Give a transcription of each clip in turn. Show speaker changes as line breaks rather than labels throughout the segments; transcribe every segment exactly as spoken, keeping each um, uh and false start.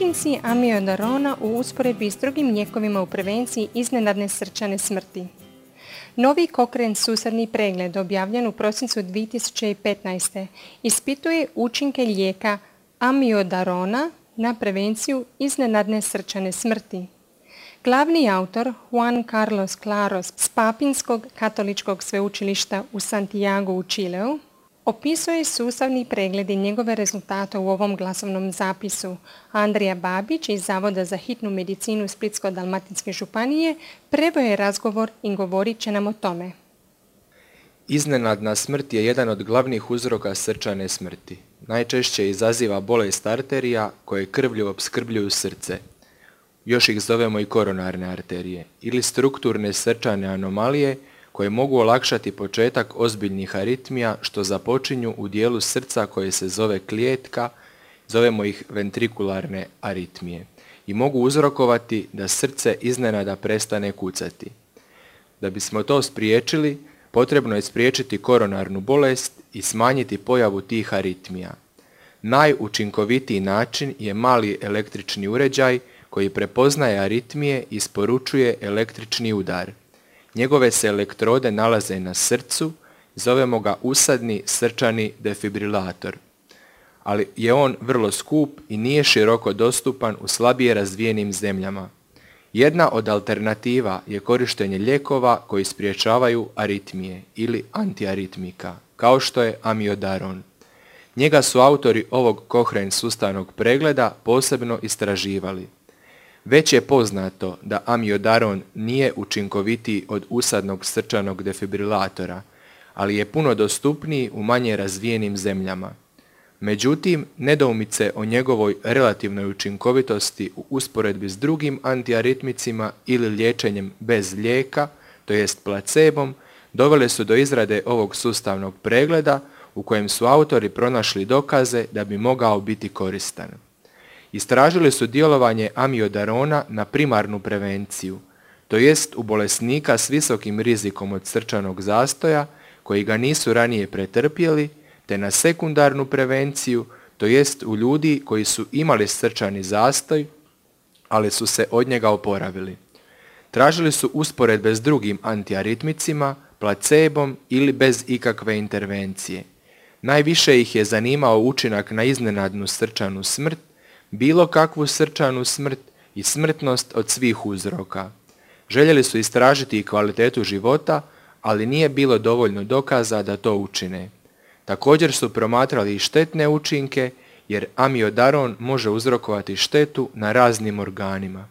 Učinci amiodarona u usporedbi s drugim lijekovima u prevenciji iznenadne srčane smrti. Novi Cochrane sustavni pregled objavljen u prosincu dvije tisuće petnaeste. ispituje učinke lijeka amiodarona na prevenciju iznenadne srčane smrti. Glavni autor Juan Carlos Claros s Papinskog katoličkog sveučilišta u Santiagu u Čileu opisuje sustavni pregled i njegove rezultate u ovom glasovnom zapisu. Andrija Babić iz Zavoda za hitnu medicinu Splitsko-dalmatinske županije preveo je razgovor i govorit će nam o tome.
Iznenadna smrt je jedan od glavnih uzroka srčane smrti. Najčešće izaziva bolest arterija koje krvlju opskrbljuju srce. Još ih zovemo i koronarne arterije ili strukturne srčane anomalije koje mogu olakšati početak ozbiljnih aritmija što započinju u dijelu srca koje se zove klijetka, zovemo ih ventrikularne aritmije i mogu uzrokovati da srce iznenada prestane kucati. Da bismo to spriječili, potrebno je spriječiti koronarnu bolest i smanjiti pojavu tih aritmija. Najučinkovitiji način je mali električni uređaj koji prepoznaje aritmije i isporučuje električni udar. Njegove se elektrode nalaze na srcu, zovemo ga usadni srčani defibrilator, ali je on vrlo skup i nije široko dostupan u slabije razvijenim zemljama. Jedna od alternativa je korištenje lijekova koji sprječavaju aritmije ili antiaritmika, kao što je amiodaron. Njega su autori ovog Cochrane sustavnog pregleda posebno istraživali. Već je poznato da amiodaron nije učinkovitiji od usadnog srčanog defibrilatora, ali je puno dostupniji u manje razvijenim zemljama. Međutim, nedoumice o njegovoj relativnoj učinkovitosti u usporedbi s drugim antiaritmicima ili liječenjem bez lijeka, to jest placebom, dovele su do izrade ovog sustavnog pregleda u kojem su autori pronašli dokaze da bi mogao biti koristan. Istražili su djelovanje amiodarona na primarnu prevenciju, to jest u bolesnika s visokim rizikom od srčanog zastoja koji ga nisu ranije pretrpjeli, te na sekundarnu prevenciju, to jest u ljudi koji su imali srčani zastoj, ali su se od njega oporavili. Tražili su usporedbe s drugim antiaritmicima, placebom ili bez ikakve intervencije. Najviše ih je zanimao učinak na iznenadnu srčanu smrt, bilo kakvu srčanu smrt i smrtnost od svih uzroka. Željeli su istražiti i kvalitetu života, ali nije bilo dovoljno dokaza da to učine. Također su promatrali i štetne učinke, jer amiodaron može uzrokovati štetu na raznim organima.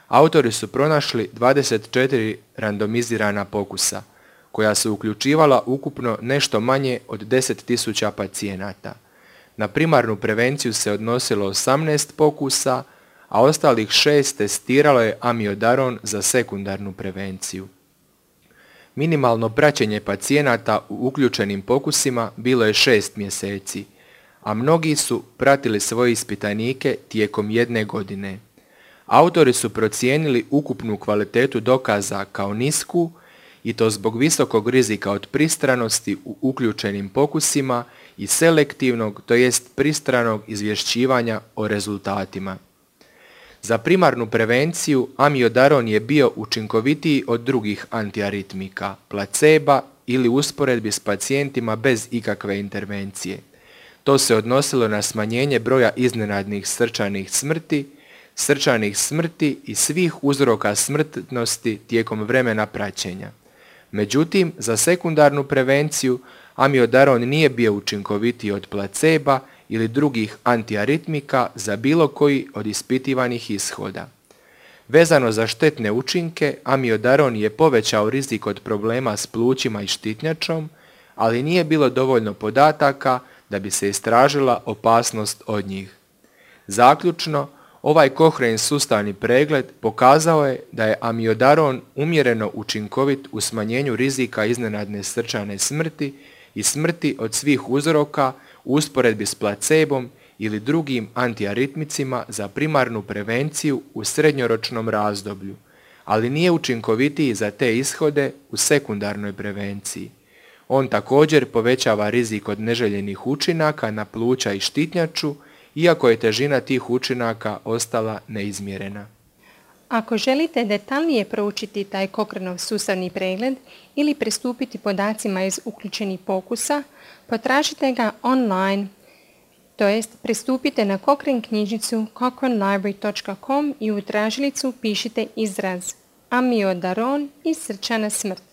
Autori su pronašli dvadeset četiri randomizirana pokusa, koja su uključivala ukupno nešto manje od deset tisuća pacijenata. Na primarnu prevenciju se odnosilo osamnaest pokusa, a ostalih šest testiralo je amiodaron za sekundarnu prevenciju. Minimalno praćenje pacijenata u uključenim pokusima bilo je šest mjeseci, a mnogi su pratili svoje ispitanike tijekom jedne godine. Autori su procijenili ukupnu kvalitetu dokaza kao nisku i to zbog visokog rizika od pristranosti u uključenim pokusima i selektivnog, to jest pristranog izvješćivanja o rezultatima. Za primarnu prevenciju amiodaron je bio učinkovitiji od drugih antiaritmika, placeba ili usporedbi s pacijentima bez ikakve intervencije. To se odnosilo na smanjenje broja iznenadnih srčanih smrti, srčanih smrti i svih uzroka smrtnosti tijekom vremena praćenja. Međutim, za sekundarnu prevenciju amiodaron nije bio učinkovitiji od placeba ili drugih antiaritmika za bilo koji od ispitivanih ishoda. Vezano za štetne učinke, amiodaron je povećao rizik od problema s plućima i štitnjačom, ali nije bilo dovoljno podataka da bi se istražila opasnost od njih. Zaključno, ovaj Cochrane sustavni pregled pokazao je da je amiodaron umjereno učinkovit u smanjenju rizika iznenadne srčane smrti i smrti od svih uzroka u usporedbi s placebom ili drugim antiaritmicima za primarnu prevenciju u srednjoročnom razdoblju, ali nije učinkovitiji za te ishode u sekundarnoj prevenciji. On također povećava rizik od neželjenih učinaka na pluća i štitnjaču iako je težina tih učinaka ostala neizmjerena.
Ako želite detaljnije proučiti taj Cochranov sustavni pregled ili pristupiti podacima iz uključenih pokusa, potražite ga online, to jest pristupite na Cochrane knjižnicu cochrane library dot com i u tražilicu pišite izraz amiodaron i srčana smrt.